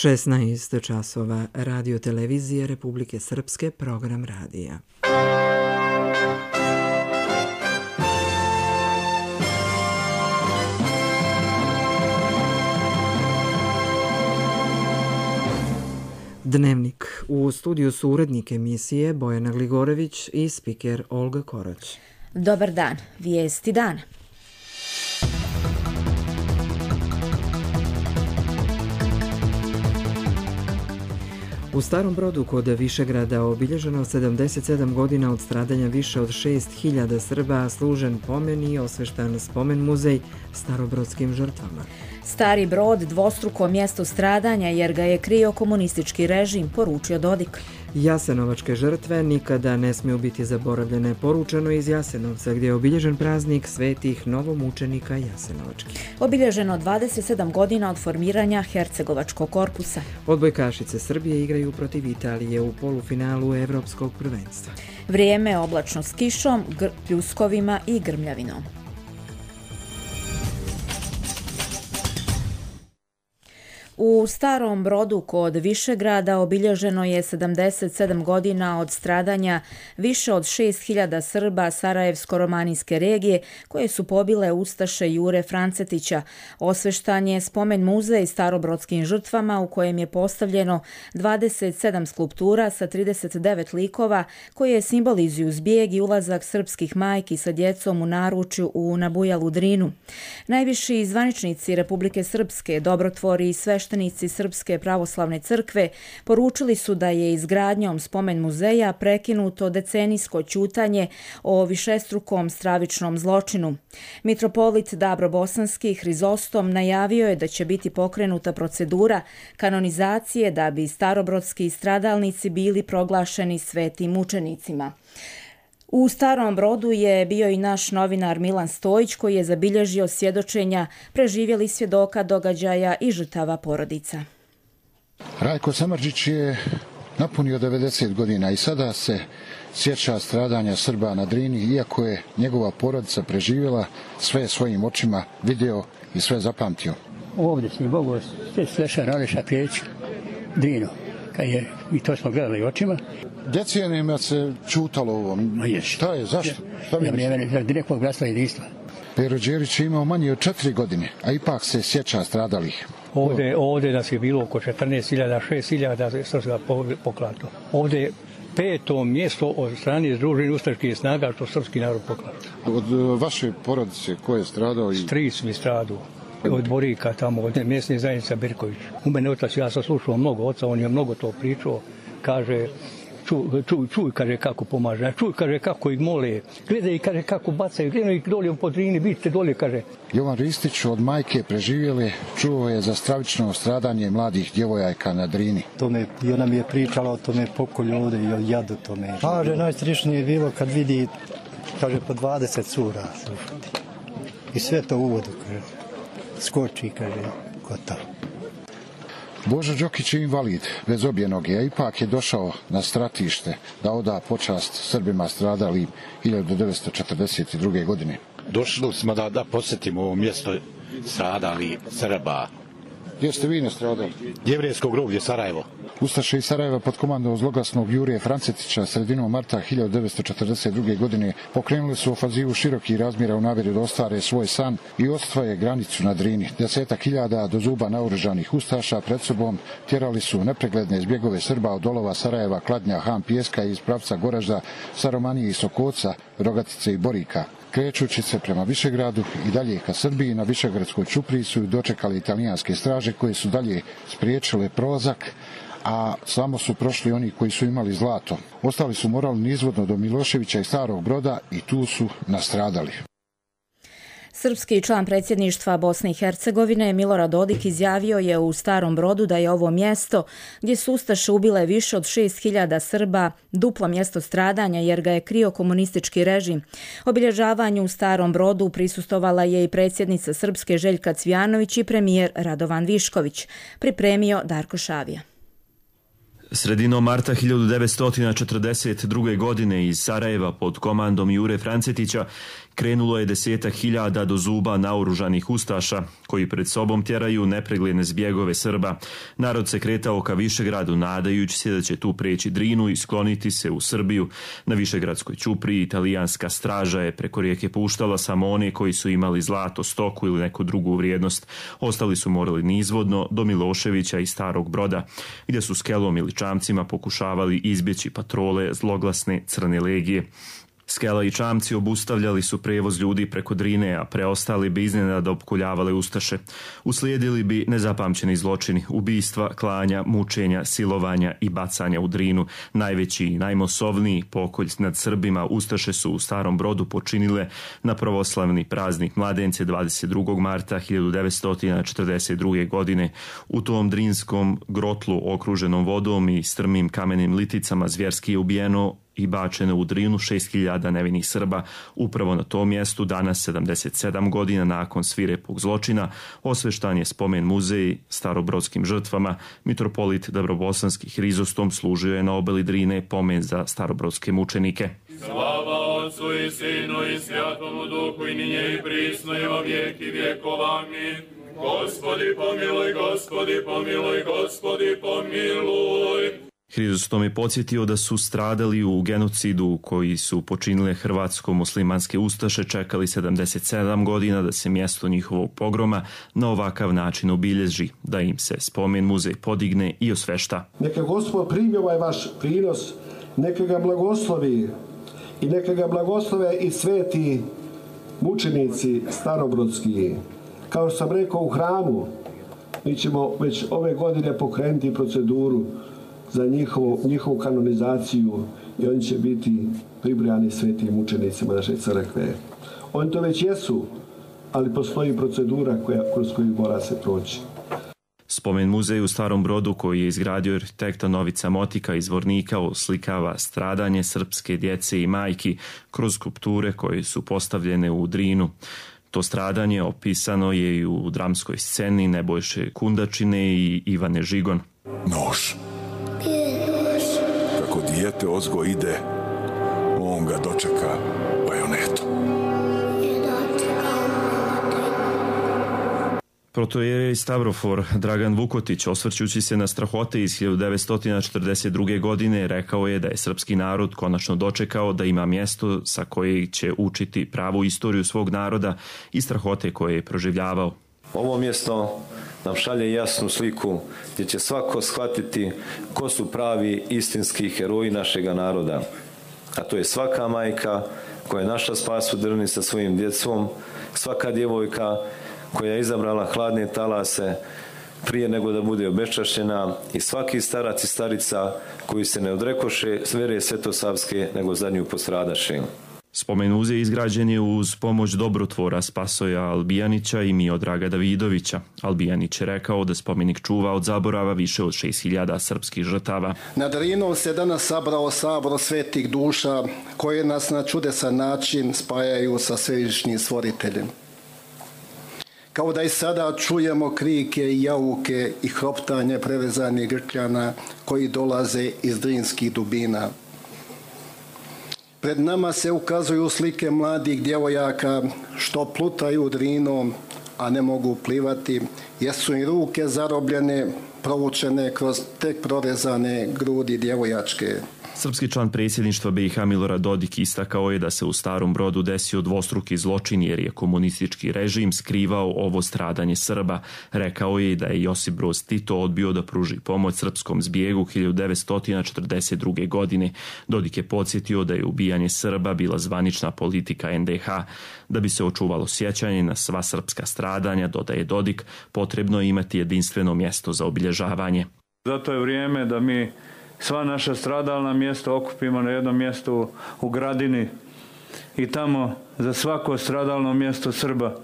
16 časova, Radio televizije Republike Srpske, program radija. Dnevnik. U studiju su urednik emisije Bojana Gligorević i spiker Olga Korać. Dobar dan, vijesti dana. U Starom Brodu kod Višegrada obilježeno 77 godina od stradanja više od 6.000 Srba, služen pomen i osveštan spomen muzej starobrodskim žrtvama. Stari Brod dvostruko mjesto stradanja jer ga je krio komunistički režim, poručio Dodik. Jasenovačke žrtve nikada ne smiju biti zaboravljene, poručeno iz Jasenovca gdje je obilježen praznik svetih novomučenika Jasenovačkih. Obilježeno 27 godina od formiranja Hercegovačkog korpusa. Odbojkašice Srbije igraju protiv Italije u polufinalu Evropskog prvenstva. Vrijeme oblačno s kišom, pljuskovima i grmljavinom. U Starom Brodu kod Višegrada obilježeno je 77 godina od stradanja više od 6.000 Srba Sarajevsko-romanijske regije koje su pobile ustaše Jure Francetića. Osveštan je spomen muzej starobrodskim žrtvama u kojem je postavljeno 27 skulptura sa 39 likova koje simbolizuju zbjeg i ulazak srpskih majki sa djecom u naručju u nabujalu Drinu. Najviši zvaničnici Republike Srpske, dobrotvori i sveštenici Srpske pravoslavne crkve poručili su da je izgradnjom spomen muzeja prekinuto decenijsko ćutanje o višestrukom stravičnom zločinu. Mitropolit Dabrobosanski Hrizostom najavio je da će biti pokrenuta procedura kanonizacije da bi starobrodski stradalnici bili proglašeni svetim mučenicima. U Starom Brodu je bio i naš novinar Milan Stojić koji je zabilježio svjedočenja preživjelih svjedoka događaja i žrtava porodica. Rajko Samardžić je napunio 90 godina i sada se sjeća stradanja Srba na Drini, iako je njegova porodica preživjela, sve svojim očima video i sve zapamtio. Ovdje si Bogo Sleša Raleša Prijeć, Drinu, i to smo gledali očima. Decenijama se čutalo ovo. Šta je, zašto? Direktnog bratstva i jedinstva. Pero Đerić je imao manje od 4 godine, a ipak se sjeća stradalih. Ovdje nas je bilo oko 14.000, 6.000 srpska poklato. Ovdje je 5. mjesto od strane Združenih ustaških snaga što srpski narod poklato. Od vaše porodice ko je stradao? Stric mi stradao. Od Borika tamo, od mjesne zajednice Birković. U mene otac, ja sam slušao mnogo oca, on je mnogo to pričao, kaže, čuj, kaže, kako pomaže, čuj, kaže, kako ih mole, gledaj, kaže, kako bacaju, gledaj ih dolje po Drini, vidite dolje, kaže. Jovan Ristić od majke preživjele čuo je za stravično stradanje mladih djevojaka na Drini. I ona mi je pričala o tome pokolju ovdje i o jadu tome. Kaže, najstrišnije je bilo kad vidi, kaže, po 20 cura. I sve to u vodu, kaže. Skoči, kaže, gotovo. Božo Đokić je invalid, bez obje noge, a ipak je došao na stratište da oda počast Srbima stradalim 1942. godine. Došli smo da posjetimo ovo mjesto stradali Srba. Gdje ste vi nastradali? Jevrejsko groblje Sarajevo. Ustaše iz Sarajeva pod komandom zloglasnog Jurija Francetića sredinom marta 1942. godine pokrenuli su ofanzivu širokih razmjera u namjeri da ostvare svoj san i osvoje granicu na Drini. 10.000 do zuba naoružanih ustaša pred sobom tjerali su nepregledne zbjegove Srba od Dolova, Sarajeva, Kladnja, Han, Pijeska iz pravca Goražda, Saromanije i Sokoca, Rogatice i Borika. Krećući se prema Višegradu i dalje ka Srbiji, na Višegradskoj ćupriji su dočekali italijanske straže koje su dalje spriječile prolazak, a samo su prošli oni koji su imali zlato. Ostali su morali nizvodno do Miloševića i Starog Broda i tu su nastradali. Srpski član predsjedništva Bosne i Hercegovine Milorad Dodik izjavio je u Starom Brodu da je ovo mjesto gdje su ustaše ubile više od 6.000 Srba duplo mjesto stradanja jer ga je krio komunistički režim. Obilježavanju u Starom Brodu prisustvovala je i predsjednica Srpske Željka Cvijanović i premijer Radovan Višković. Pripremio Darko Šavija. Sredinom marta 1942. godine iz Sarajeva pod komandom Jure Francetića krenulo je 10.000 do zuba naoružanih ustaša koji pred sobom tjeraju nepregledne zbjegove Srba. Narod se kretao ka Višegradu nadajući se da će tu preći Drinu i skloniti se u Srbiju. Na Višegradskoj ćupriji italijanska straža je preko rijeke puštala samo one koji su imali zlato, stoku ili neku drugu vrijednost. Ostali su morali nizvodno do Miloševića i Starog Broda, gdje su skelom ili čamcima pokušavali izbjeći patrole zloglasne Crne legije. Skela i čamci obustavljali su prevoz ljudi preko Drine, a preostali bi iznenada opkoljavale ustaše. Uslijedili bi nezapamćeni zločini, ubistva, klanja, mučenja, silovanja i bacanja u Drinu. Najveći i najmosovniji pokolj nad Srbima ustaše su u Starom Brodu počinile na pravoslavni praznik Mladence 22. marta 1942. godine. U tom drinskom grotlu okruženom vodom i strmim kamenim liticama zvjerski je ubijeno i bačeno u Drinu 6.000 nevinih Srba. Upravo na tom mjestu danas, 77 godina nakon svirepog zločina, osveštan je spomen muzej starobrodskim žrtvama. Mitropolit Dabrobosanski Hrizostom služio je na obali Drine pomen za starobrodske mučenike. Slava Otcu i Sinu i Svjatomu Duhu i ninje i prisno i во vijeki vjekova. Amin. Gospodi pomiluj, Gospodi pomiluj, Gospodi pomiluj. Hrizostom je podsjetio da su stradali u genocidu koji su počinile hrvatsko-muslimanske ustaše, čekali 77 godina da se mjesto njihovog pogroma na ovakav način obilježi, da im se spomen muzej podigne i osvešta. Neka Gospod primi ovaj vaš prinos, neka ga blagoslovi i neka ga blagoslove i sveti mučenici starobrodski. Kao što sam rekao u hramu, mi ćemo već ove godine pokrenuti proceduru za njihovu kanonizaciju i oni će biti pribrojani svetim mučenicima naše crkve. Oni to već jesu, ali postoji procedura kroz koju mora se proći. Spomen muzej u Starom Brodu koji je izgradio arhitekta Novica Motika iz Vornika oslikava stradanje srpske djece i majki kroz skulpture koje su postavljene u Drinu. To stradanje opisano je i u dramskoj sceni Nebojše Kundačine i Ivane Žigon. Nož. Kako dijete ozgo ide, on ga dočeka bajonetom. Protoijerej Stavrofor Dragan Vukotić, osvrćući se na strahote iz 1942. godine, rekao je da je srpski narod konačno dočekao da ima mjesto sa kojeg će učiti pravu istoriju svog naroda i strahote koje je proživljavao. Ovo mjesto nam šalje jasnu sliku gdje će svako shvatiti ko su pravi istinski heroji našega naroda. A to je svaka majka koja je našla spas u Drni sa svojim djecom, svaka djevojka koja je izabrala hladne talase prije nego da bude obeščašćena i svaki starac i starica koji se ne odrekoše vere svetosavske nego za nju postradaše. Spomen muzej izgrađen je uz pomoć dobrotvora Spasoja Albijanića i Miodraga Davidovića. Albijanić je rekao da spomenik čuva od zaborava više od 6.000 srpskih žrtava. Na Drinu se danas sabrao sabor svetih duša koje nas na čudesan način spajaju sa svevišnjim stvoriteljem. Kao da i sada čujemo krike i jauke i hroptanje prevezanih grkljana koji dolaze iz drinskih dubina. Pred nama se ukazuju slike mladih djevojaka što plutaju Drinom, a ne mogu plivati, jer su im ruke zarobljene, provučene kroz tek prorezane grudi djevojačke. Srpski član predsjedništva BiH Milorad Dodik istakao je da se u Starom Brodu desio dvostruki zločin jer je komunistički režim skrivao ovo stradanje Srba. Rekao je da je Josip Broz Tito odbio da pruži pomoć srpskom zbjegu 1942. godine. Dodik je podsjetio da je ubijanje Srba bila zvanična politika NDH. Da bi se očuvalo sjećanje na sva srpska stradanja, dodaje Dodik, potrebno je imati jedinstveno mjesto za obilježavanje. Zato je vrijeme da mi sva naša stradalna mjesta okupimo na jednom mjestu u Gradini i tamo za svako stradalno mjesto Srba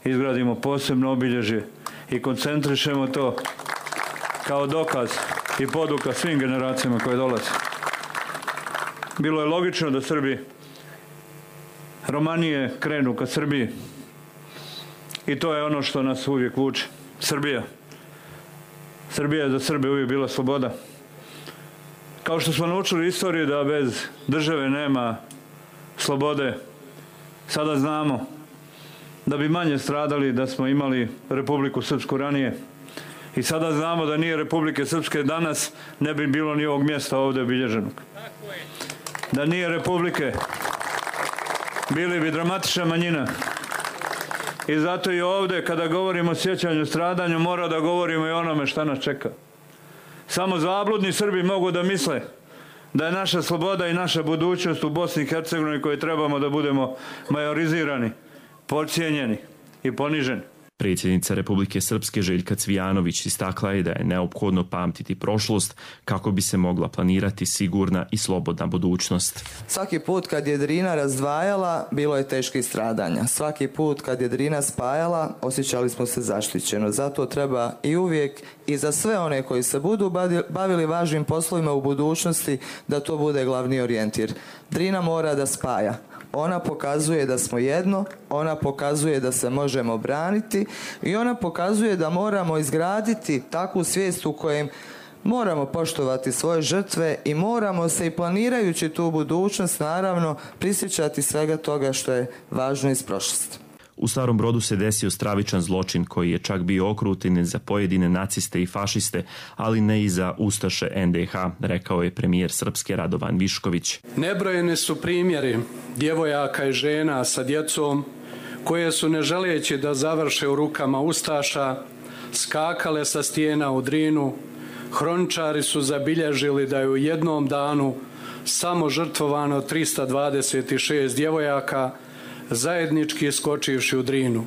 izgradimo posebno obilježje i koncentrišemo to kao dokaz i poduka svim generacijama koje dolaze. Bilo je logično da Srbi Romanije krenu ka Srbiji i to je ono što nas uvijek vuče. Srbija je za Srbe uvijek bila sloboda. Kao što smo naučili istoriju da bez države nema slobode, sada znamo da bi manje stradali da smo imali Republiku Srpsku ranije. I sada znamo da nije Republike Srpske danas, ne bi bilo ni ovog mjesta ovdje obilježenog. Da nije Republike, bili bi dramatična manjina. I zato i ovdje, kada govorimo o sjećanju, stradanju, mora da govorimo i onome šta nas čeka. Samo zabludni Srbi mogu da misle da je naša sloboda i naša budućnost u Bosni i Hercegovini koje trebamo da budemo majorizirani, podcijenjeni i poniženi. Predsjednica Republike Srpske Željka Cvijanović istakla je da je neophodno pamtiti prošlost kako bi se mogla planirati sigurna i slobodna budućnost. Svaki put kad je Drina razdvajala, bilo je teških stradanja. Svaki put kad je Drina spajala, osjećali smo se zaštićeno. Zato treba i uvijek i za sve one koji se budu bavili važnim poslovima u budućnosti da to bude glavni orijentir. Drina mora da spaja. Ona pokazuje da smo jedno, ona pokazuje da se možemo braniti i ona pokazuje da moramo izgraditi takvu svijest u kojem moramo poštovati svoje žrtve i moramo se i planirajući tu budućnost naravno prisjećati svega toga što je važno iz prošlosti. U Starom Brodu se desio stravičan zločin koji je čak bio okrutinen za pojedine naciste i fašiste, ali ne i za ustaše NDH, rekao je premijer Srpske Radovan Višković. Nebrojene su primjeri djevojaka i žena sa djecom koje su, ne želeći da završe u rukama ustaša, skakale sa stijena u Drinu. Hroničari su zabilježili da je u jednom danu samo žrtvovano 326 djevojaka, zajednički skočivši u Drinu.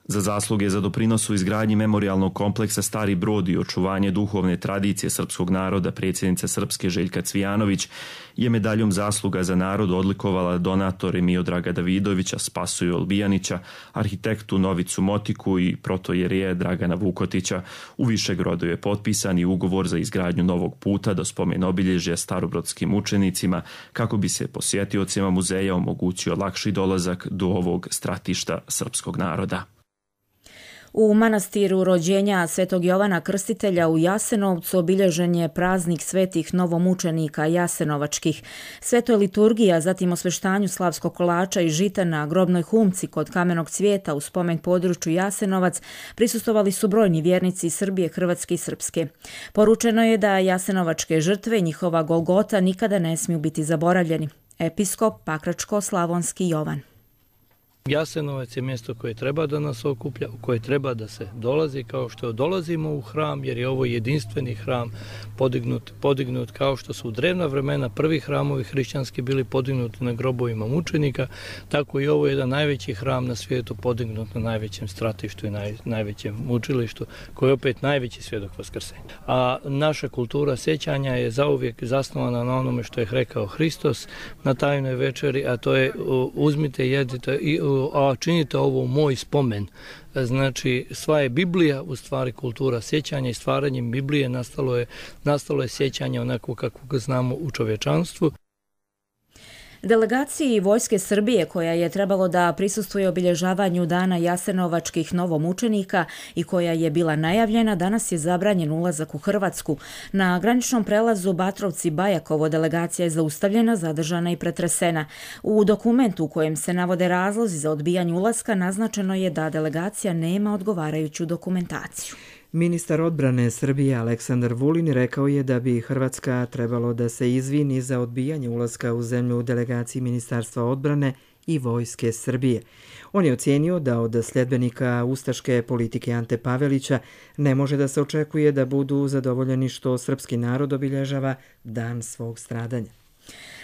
Za zasluge za doprinos u izgradnji memorijalnog kompleksa Stari Brod i očuvanje duhovne tradicije srpskog naroda predsjednica Srpske Željka Cvijanović je medaljom zasluga za narod odlikovala donatore Miodraga Davidovića, Spasoja Olbijanića, arhitektu Novicu Motiku i protojereja Dragana Vukotića. U Višegradu je potpisan i ugovor za izgradnju novog puta do spomen obilježja starobrodskim učenicima kako bi se posjetiocima muzeja omogućio lakši dolazak do ovog stratišta srpskog naroda. U manastiru rođenja Svetog Jovana Krstitelja u Jasenovcu obilježen je praznik svetih novomučenika jasenovačkih. Sveto liturgija, zatim osveštanju slavskog kolača i žita na grobnoj humci kod Kamenog cvijeta u spomen području Jasenovac prisustvovali su brojni vjernici iz Srbije, Hrvatske i Srpske. Poručeno je da jasenovačke žrtve i njihova Golgota nikada ne smiju biti zaboravljeni. Episkop Pakračko-Slavonski Jovan. Jasenovac je mjesto koje treba da nas okuplja, u koje treba da se dolazi kao što dolazimo u hram, jer je ovo jedinstveni hram podignut kao što su u drevna vremena prvi hramovi hrišćanski bili podignuti na grobovima mučenika, tako i ovo je jedan najveći hram na svijetu podignut na najvećem stratištu i najvećem mučilištu, koji je opet najveći svjedok vaskrsenja. A naša kultura sjećanja je zauvijek zasnovana na onome što je rekao Hristos na tajnoj večeri, a to je uzmite, jedite a činite ovo u moj spomen. Znači, sva je Biblija u stvari kultura sjećanja i stvaranjem Biblije nastalo je sjećanje onako kako ga znamo u čovječanstvu. Delegaciji Vojske Srbije, koja je trebalo da prisustvuje obilježavanju Dana jasenovačkih novomučenika i koja je bila najavljena, danas je zabranjen ulazak u Hrvatsku. Na graničnom prelazu Batrovci-Bajakovo delegacija je zaustavljena, zadržana i pretresena. U dokumentu u kojem se navode razlozi za odbijanje ulaska naznačeno je da delegacija nema odgovarajuću dokumentaciju. Ministar odbrane Srbije Aleksandar Vulin rekao je da bi Hrvatska trebalo da se izvini za odbijanje ulaska u zemlju u delegaciji Ministarstva odbrane i Vojske Srbije. On je ocijenio da od sljedbenika ustaške politike Ante Pavelića ne može da se očekuje da budu zadovoljeni što srpski narod obilježava dan svog stradanja.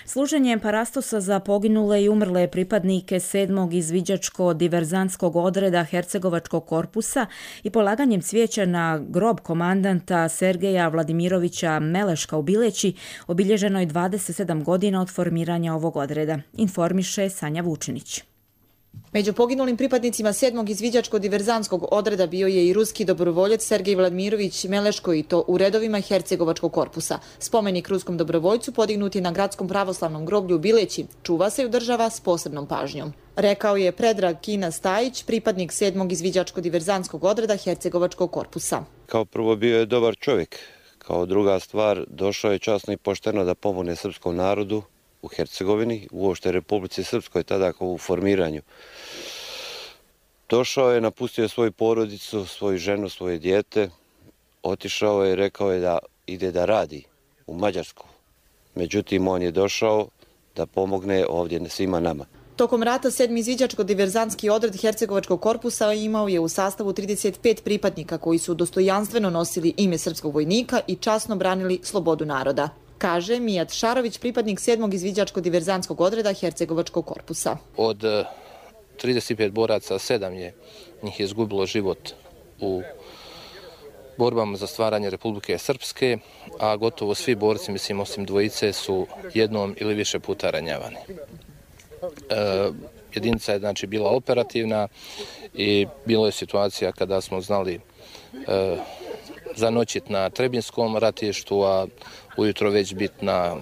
Služenjem parastosa za poginule i umrle pripadnike 7. izviđačko-diverzantskog odreda Hercegovačkog korpusa i polaganjem cvijeća na grob komandanta Sergeja Vladimirovića Meleška u Bileći obilježeno je 27 godina od formiranja ovog odreda, informiše Sanja Vučinić. Među poginulim pripadnicima 7. izviđačko-diverzantskog odreda bio je i ruski dobrovoljac Sergej Vladimirović Meleško i to u redovima Hercegovačkog korpusa. Spomenik ruskom dobrovoljcu podignut je na gradskom pravoslavnom groblju u Bileći. Čuva se i održava s posebnom pažnjom. Rekao je Predrag Kina Stajić, pripadnik 7. izviđačko-diverzantskog odreda Hercegovačkog korpusa. Kao prvo bio je dobar čovjek, Kao druga stvar, došao je časno i pošteno da pomogne srpskom narodu u Hercegovini, uopšte Republici Srpskoj, tada kao u formiranju. Došao je, napustio svoju porodicu, svoju ženu, svoje dijete, otišao je i rekao je da ide da radi u Mađarsku. Međutim, on je došao da pomogne ovdje svima nama. Tokom rata 7. izviđačko-diverzantski odred Hercegovačkog korpusa imao je u sastavu 35 pripadnika koji su dostojanstveno nosili ime srpskog vojnika i časno branili slobodu naroda, kaže Mijat Šarović, pripadnik 7. izviđačko-diverzantskog odreda Hercegovačkog korpusa. Od 35 boraca, 7 njih je izgubilo život u borbama za stvaranje Republike Srpske, a gotovo svi borci, mislim osim dvojice, su jednom ili više puta ranjavani. Jedinica je znači bila operativna i bilo je situacija kada smo znali zanoćiti na Trebinskom ratištu, a ujutro već biti na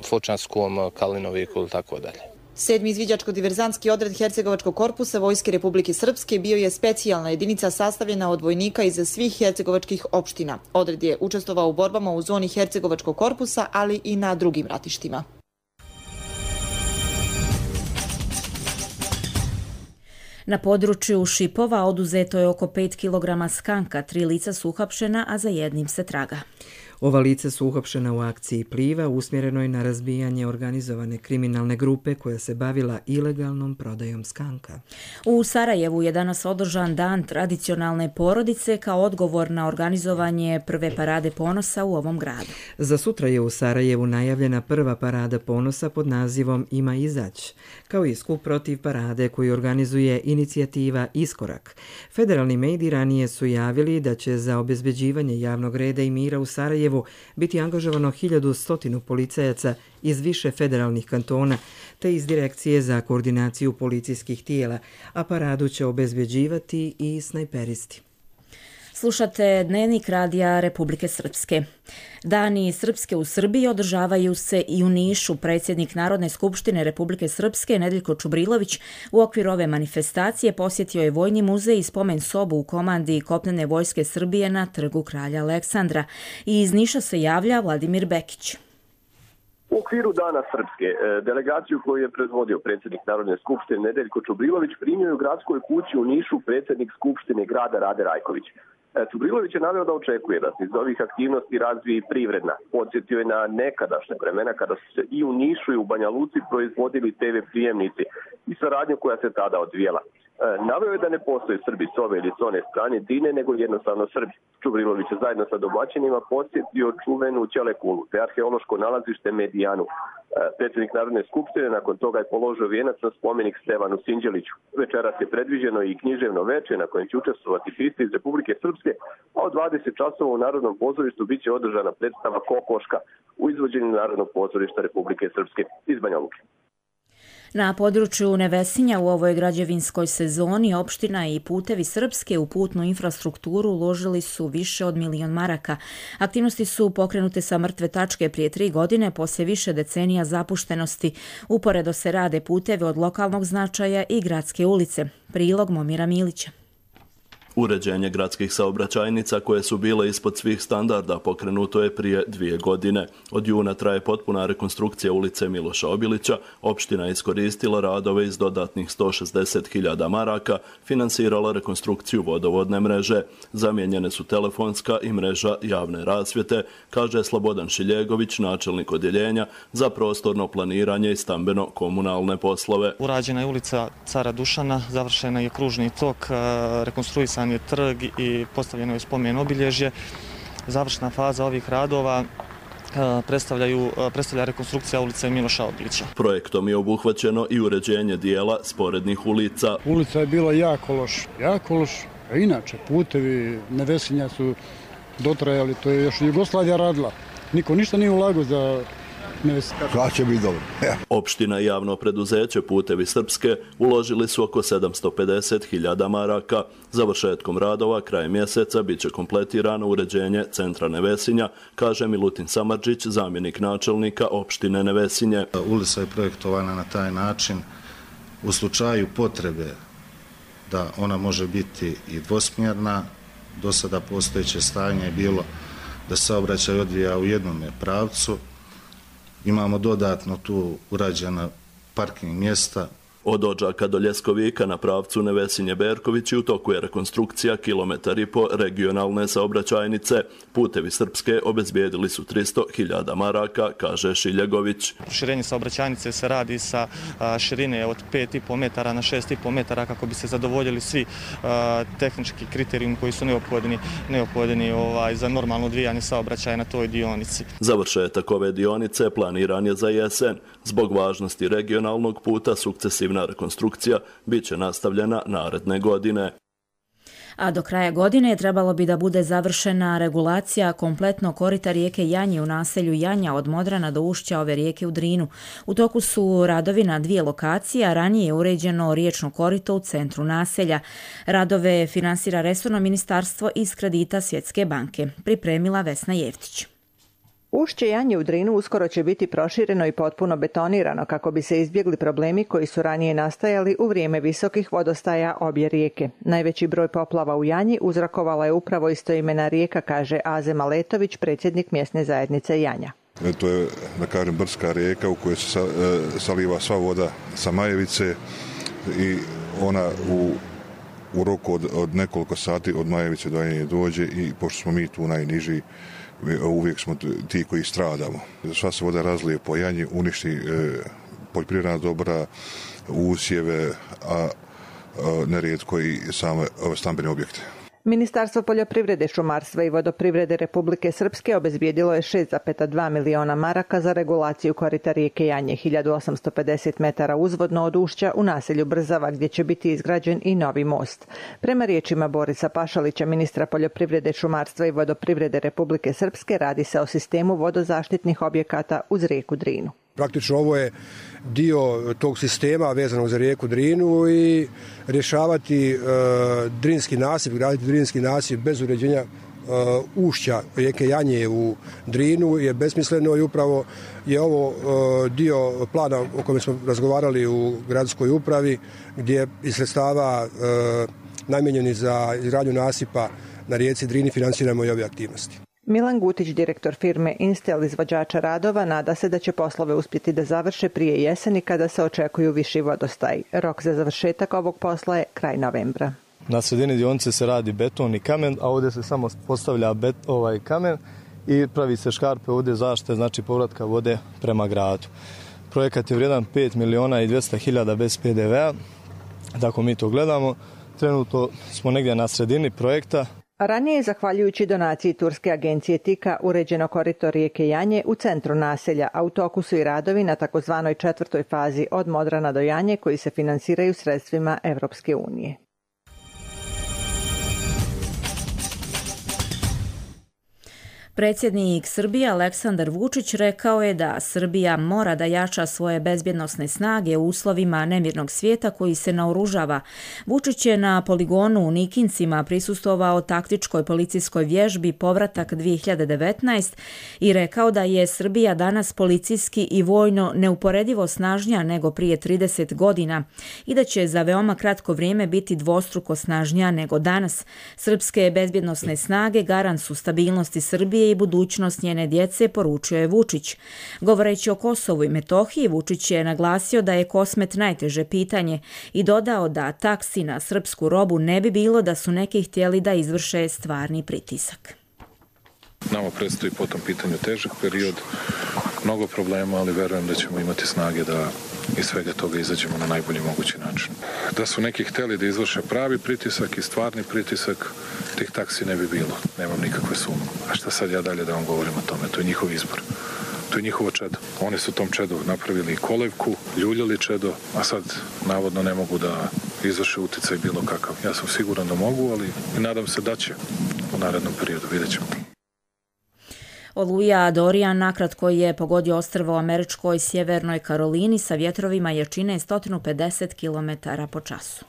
Fočanskom, Kalinoviku ili tako dalje. 7. izviđačko-diverzantski odred Hercegovačkog korpusa Vojske Republike Srpske bio je specijalna jedinica sastavljena od vojnika iz svih hercegovačkih opština. Odred je učestvovao u borbama u zoni Hercegovačkog korpusa, ali i na drugim ratištima. Na području Šipova oduzeto je oko 5 kg skanka, 3 lica su uhapšena, a za jednim se traga. Ova lica su uhapšena u akciji Pliva usmjerenoj na razbijanje organizovane kriminalne grupe koja se bavila ilegalnom prodajom skanka. U Sarajevu je danas održan dan tradicionalne porodice kao odgovor na organizovanje prve parade ponosa u ovom gradu. Za sutra je u Sarajevu najavljena prva parada ponosa pod nazivom Ima izać, kao i skup protiv parade koju organizuje inicijativa Iskorak. Federalni mediji ranije su javili da će za obezbeđivanje javnog reda i mira u Sarajevu biti angažovano 1100 policajaca iz više federalnih kantona te iz Direkcije za koordinaciju policijskih tijela, a paradu će obezbeđivati i snajperisti. Slušate Dnevnik radija Republike Srpske. Dani Srpske u Srbiji održavaju se i u Nišu. Predsjednik Narodne skupštine Republike Srpske Nedeljko Čubrilović u okviru ove manifestacije posjetio je Vojni muzej i spomen sobu u komandi Kopnene vojske Srbije na Trgu kralja Aleksandra. I iz Niša se javlja Vladimir Bekić. U okviru Dana Srpske, delegaciju koju je predvodio predsjednik Narodne skupštine Nedeljko Čubrilović primio je u gradskoj kući u Nišu predsjednik skupštine grada Rade Rajković. Čubrilović je naveo da očekuje da se iz ovih aktivnosti razvije i privredna. Podsjetio je na nekadašnje vremena kada su se i u Nišu i u Banja Luci proizvodili TV prijemnici i saradnju koja se tada odvijela. Naveo je da ne postoje Srbi s ove ili s one strane Dine, nego jednostavno Srbi. Čubrilović je zajedno sa domaćinima posjetio čuvenu Ćelekulu, te arheološko nalazište Medijanu. Predsjednik Narodne skupštine nakon toga je položio vijenac na spomenik Stevanu Sinđeliću. Večeras je predviđeno i književno veče na kojem će učestvovati pisci iz Republike Srpske, a od 20 časova u Narodnom pozorištu biće održana predstava Kokoška u izvođenju Narodnog pozorišta Republike Srpske iz Banja Luke. Na području Nevesinja u ovoj građevinskoj sezoni opština i Putevi Srpske u putnu infrastrukturu uložili su više od 1 milion maraka. Aktivnosti su pokrenute sa mrtve tačke prije 3 godine poslije više decenija zapuštenosti. Uporedo se rade putevi od lokalnog značaja i gradske ulice. Prilog Momira Milića. Uređenje gradskih saobraćajnica koje su bile ispod svih standarda pokrenuto je prije 2 godine. Od juna traje potpuna rekonstrukcija ulice Miloša Obilića. Opština je iskoristila radove iz dodatnih 160.000 maraka, finansirala rekonstrukciju vodovodne mreže. Zamijenjene su telefonska i mreža javne rasvjete, kaže Slobodan Šiljegović, načelnik odjeljenja za prostorno planiranje i stambeno-komunalne poslove. Urađena je ulica Cara Dušana, završena je kružni tok, rekonstruisan je trg i postavljeno je spomen obilježje. Završna faza ovih radova predstavlja rekonstrukcija ulice Miloša Obilića. Projektom je obuhvaćeno i uređenje dijela sporednih ulica. Ulica je bila jako loš, a inače putevi Nevesinja su dotrajali, to je još Jugoslavija radila. Niko ništa nije ulagao za će biti dobro. Opština i javno preduzeće Putevi Srpske uložili su oko 750.000 maraka. Završetkom radova krajem mjeseca bit će kompletirano uređenje centra Nevesinja, kaže Milutin Samardžić, zamjenik načelnika opštine Nevesinje. Ulica je projektovana na taj način u slučaju potrebe da ona može biti i dvosmjerna. Do sada postojeće stanje je bilo da se saobraćaj odvija u jednome pravcu. Imamo dodatno tu urađena parking mjesta. Od Odžaka do Ljeskovika na pravcu Nevesinje-Berković u toku je rekonstrukcija 1,5 km regionalne saobraćajnice. Putevi Srpske obezbijedili su 300.000 maraka, kaže Šiljegović. Proširenje saobraćajnice se radi sa širine od 5,5 metara na 6,5 metara kako bi se zadovoljili svi tehnički kriterijumi koji su neophodni za normalno odvijanje saobraćaja na toj dionici. Završetak ove dionice planiran je za jesen. Zbog važnosti regionalnog puta sukcesivna rekonstrukcija bit će nastavljena naredne godine. A do kraja godine trebalo bi da bude završena regulacija kompletno korita rijeke Janje u naselju Janja od Modrana do ušća ove rijeke u Drinu. U toku su radovi na 2 lokacije, a ranije je uređeno riječno korito u centru naselja. Radove finansira resorno ministarstvo iz kredita Svjetske banke. Pripremila Vesna Jevtić. Ušće Janje u Drinu uskoro će biti prošireno i potpuno betonirano kako bi se izbjegli problemi koji su ranije nastajali u vrijeme visokih vodostaja obje rijeke. Najveći broj poplava u Janji uzrokovala je upravo istoimena rijeka, kaže Azem Aletović, predsjednik mjesne zajednice Janja. To je, da kažem, brdska rijeka u kojoj se saliva sva voda sa Majevice i ona u roku od nekoliko sati od Majevice do Janje dođe i pošto smo mi tu najniži, uvijek smo ti koji stradamo. Sva se voda razlije po Janji, uništi poljoprivredna dobra, usjeve, a nerijetko i same stambene objekte. Ministarstvo poljoprivrede, šumarstva i vodoprivrede Republike Srpske obezbijedilo je 6,2 miliona maraka za regulaciju korita rijeke Janje, 1850 metara uzvodno od ušća u naselju Brzava, gdje će biti izgrađen i novi most. Prema riječima Borisa Pašalića, ministra poljoprivrede, šumarstva i vodoprivrede Republike Srpske, radi se o sistemu vodozaštitnih objekata uz rijeku Drinu. Praktično ovo je dio tog sistema vezanog za rijeku Drinu i rješavati drinski nasip, graditi drinski nasip bez uređenja ušća rijeke Janje u Drinu je besmisleno i upravo je ovo dio plana o kojem smo razgovarali u gradskoj upravi gdje iz sredstava namijenjeni za izgradnju nasipa na rijeci Drini financiramo i ove aktivnosti. Milan Gutić, direktor firme Instel, izvođača radova, nada se da će poslove uspjeti da završe prije jeseni kada se očekuju viši vodostaj. Rok za završetak ovog posla je kraj novembra. Na sredini dionice se radi beton i kamen, a ovdje se samo postavlja kamen i pravi se škarpe ovdje zaštite, znači povratka vode prema gradu. Projekat je vrijedan 5.200.000 bez PDV-a, tako mi to gledamo. Trenutno smo negdje na sredini projekta. Ranije je, zahvaljujući donaciji turske agencije TIKA, uređeno korito rijeke Janje u centru naselja, a u toku su i radovi na takozvanoj 4. fazi od Modrana do Janje koji se finansiraju sredstvima Evropske unije. Predsjednik Srbije Aleksandar Vučić rekao je da Srbija mora da jača svoje bezbjednosne snage u uslovima nemirnog svijeta koji se naoružava. Vučić je na poligonu u Nikincima prisustvovao taktičkoj policijskoj vježbi Povratak 2019 i rekao da je Srbija danas policijski i vojno neuporedivo snažnija nego prije 30 godina i da će za veoma kratko vrijeme biti dvostruko snažnija nego danas. Srpske bezbjednosne snage garant su stabilnosti Srbije i budućnost njene djece, poručio je Vučić. Govoreći o Kosovu i Metohiji, Vučić je naglasio da je Kosmet najteže pitanje i dodao da taksi na srpsku robu ne bi bilo da su neki htjeli da izvrše stvarni pritisak. Nama predstoji po tom pitanju težak period, mnogo problema, ali verujem da ćemo imati snage da iz svega toga izađemo na najbolji mogući način. Da su neki htjeli da izvrše pravi pritisak i stvarni pritisak, tih taksi ne bi bilo. Nemam nikakve sumnje. A šta sad ja dalje da vam govorim o tome? To je njihov izbor. To je njihovo čedo. Oni su tom čedu napravili kolevku, ljuljali čedo, a sad navodno ne mogu da izvrše uticaj bilo kakav. Ja sam siguran da mogu, ali nadam se da će u narednom periodu. Vidjet ćemo. Oluja Dorian nakratko je pogodio ostrvo u američkoj Sjevernoj Karolini sa vjetrovima jačine 150 km po času.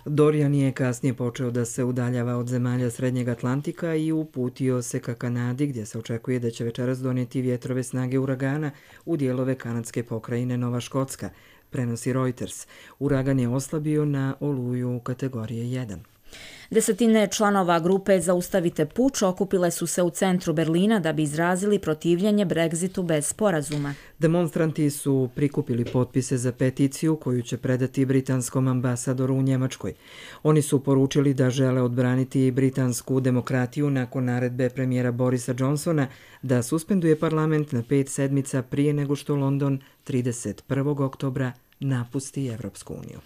Dorian je kasnije počeo da se udaljava od zemalja Srednjeg Atlantika i uputio se ka Kanadi, gdje se očekuje da će večeras donijeti vjetrove snage uragana u dijelove kanadske pokrajine Nova Škotska, prenosi Reuters. Uragan je oslabio na oluju kategorije 1. Desetine članova grupe Zaustavite puč okupile su se u centru Berlina da bi izrazili protivljenje Brexitu bez sporazuma. Demonstranti su prikupili potpise za peticiju koju će predati britanskom ambasadoru u Njemačkoj. Oni su poručili da žele odbraniti britansku demokratiju nakon naredbe premijera Borisa Johnsona da suspenduje parlament na 5 sedmica prije nego što London 31. oktobra napusti Evropsku uniju.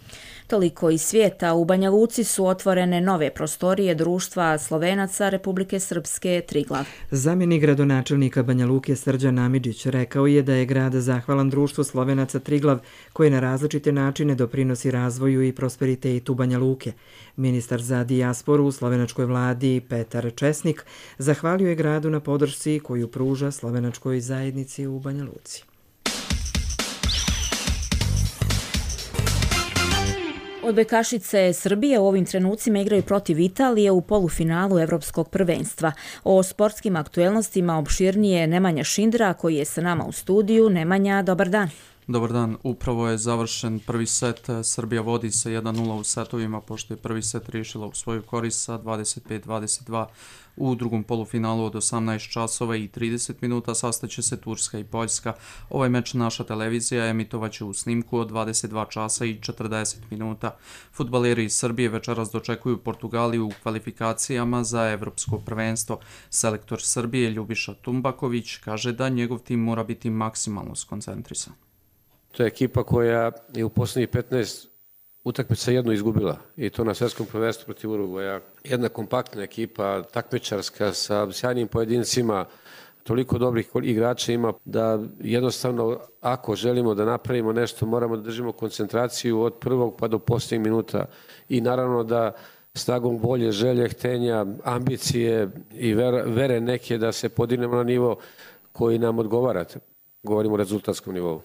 Toliko iz svijeta. U Banja Luci su otvorene nove prostorije društva Slovenaca Republike Srpske Triglav. Zamjenik gradonačelnika Banja Luke Srđan Amidžić rekao je da je grad zahvalan društvu Slovenaca Triglav koje na različite načine doprinosi razvoju i prosperitetu Banja Luke. Ministar za dijasporu u slovenačkoj vladi Petar Česnik zahvalio je gradu na podršci koju pruža slovenačkoj zajednici u Banja Luci. Odbojkašice Srbije u ovim trenucima igraju protiv Italije u polufinalu Evropskog prvenstva. O sportskim aktuelnostima opširnije Nemanja Šindra koji je sa nama u studiju. Nemanja, dobar dan. Dobar dan, upravo je završen prvi set. Srbija vodi sa 1-0 u setovima pošto je prvi set riješila u svoju korist sa 25-22. U drugom polufinalu od 18 časova i 30 minuta sastaće se Turska i Poljska. Ovaj meč naša televizija emitovaće u snimku od 22 časa i 40 minuta. Fudbaleri iz Srbije večeras dočekuju Portugaliju u kvalifikacijama za Evropsko prvenstvo. Selektor Srbije Ljubiša Tumbaković kaže da njegov tim mora biti maksimalno skoncentrisan. To je ekipa koja je u posljednjih 15 utakmica jednu izgubila i to na svjetskom prvenstvu protiv Urugvaja. Jedna kompaktna ekipa, takmičarska sa sjajnim pojedincima, toliko dobrih igrača ima da jednostavno ako želimo da napravimo nešto moramo da držimo koncentraciju od prvog pa do posljednjeg minuta i naravno da snagom volje, želje, htenja, ambicije i vere neke da se podignemo na nivo koji nam odgovara. Govorimo o rezultatskom nivou.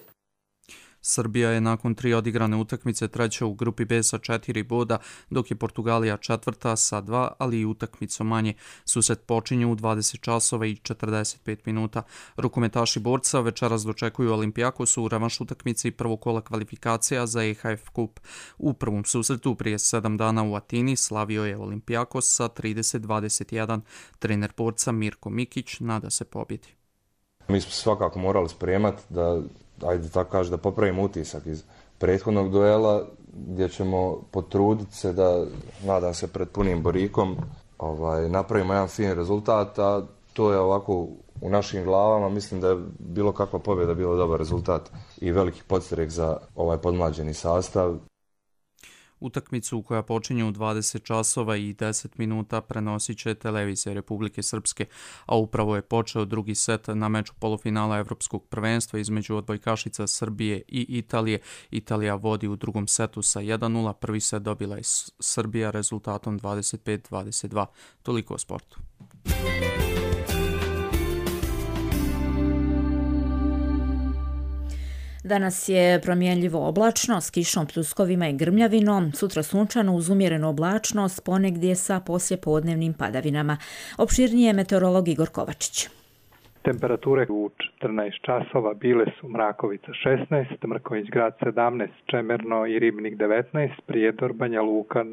Srbija je nakon 3 odigrane utakmice treća u grupi B sa 4 boda, dok je Portugalija četvrta sa 2, ali i utakmicom manje. Susret počinje u 20 časova i 45 minuta. Rukometaši borca večeras dočekuju Olimpijakos u revanš utakmici prvog kola kvalifikacija za EHF Kup. U prvom susretu prije 7 dana u Atini slavio je Olimpijakos sa 30-21. Trener borca Mirko Mikić nada se pobjedi. Mi smo svakako morali spremati da ajde tako kaže, da popravimo utisak iz prethodnog duela gdje ćemo potruditi se da, nadam se pred punim borikom, napravimo jedan fin rezultat, a to je ovako u našim glavama, mislim da je bilo kakva pobjeda bilo dobar rezultat i veliki podstrek za ovaj podmlađeni sastav. Utakmicu koja počinje u 20 časova i 10 minuta prenosit će televizija Republike Srpske, a upravo je počeo drugi set na meču polufinala Evropskog prvenstva između odbojkašica Srbije i Italije. Italija vodi u drugom setu sa 1-0, prvi set dobila je Srbija rezultatom 25-22. Toliko o sportu. Danas je promjenljivo oblačno s kišom, pljuskovima i grmljavinom, sutra sunčano uz umjerenu oblačnost, ponegdje sa poslijepodnevnim padavinama. Opširnije meteorolog Igor Kovačić. Temperature u 14 časova bile su Mrakovica 16, Mrkonjić Grad 17, Čemerno i Ribnik 19, Prijedor, Banja Luka,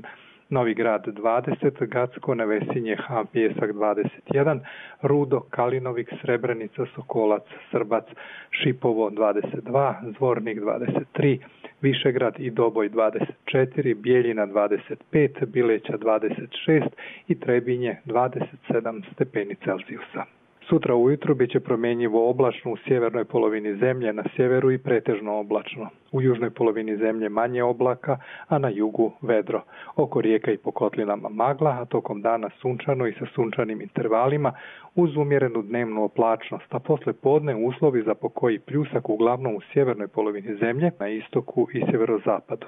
Novi Grad 20, Gacko, Nevesinje, Han Pijesak 21, Rudo, Kalinovik, Srebrenica, Sokolac, Srbac, Šipovo 22, Zvornik 23, Višegrad i Doboj 24, Bijeljina 25, Bileća 26 i Trebinje 27 stepeni Celzijusa. Sutra ujutru bit će promjenjivo oblačno u sjevernoj polovini zemlje, na sjeveru i pretežno oblačno. U južnoj polovini zemlje manje oblaka, a na jugu vedro. Oko rijeka i po kotlinama magla, a tokom dana sunčano i sa sunčanim intervalima uz umjerenu dnevnu oblačnost, a posle podne uslovi za pokoji pljusak uglavnom u sjevernoj polovini zemlje, na istoku i sjeverozapadu.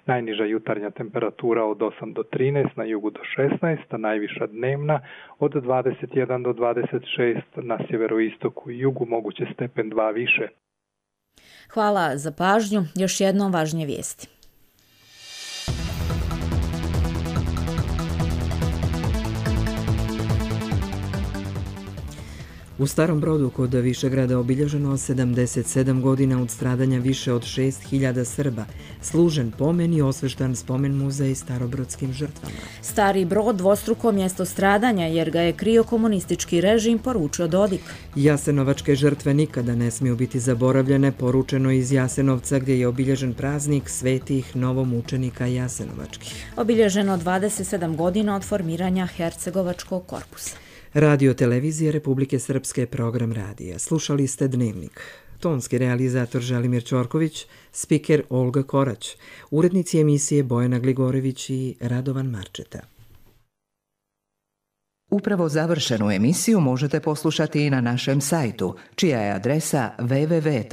Najniža jutarnja temperatura od 8 do 13, na jugu do 16, a najviša dnevna od 21 do 26, na sjeveroistoku i jugu moguće stepen 2 više. Hvala za pažnju. Još jednom važnije vijesti. U Starom Brodu kod Višegrada obilježeno 77 godina od stradanja više od 6.000 Srba, služen pomen i osveštan spomen muzej starobrodskim žrtvama. Stari Brod dvostruko mjesto stradanja jer ga je krio komunistički režim, poručio Dodik. Jasenovačke žrtve nikada ne smiju biti zaboravljene, poručeno iz Jasenovca gdje je obilježen praznik svetih novomučenika Jasenovačkih. Obilježeno 27 godina od formiranja Hercegovačkog korpusa. Radio televizije Republike Srpske, program radija. Slušali ste Dnevnik. Tonski realizator Želimir Ćorković, spiker Olga Korać, urednici emisije Bojana Gligorević i Radovan Marčeta. Upravo završenu emisiju možete poslušati i na našem sajtu, čija je adresa www.rtrs.tv.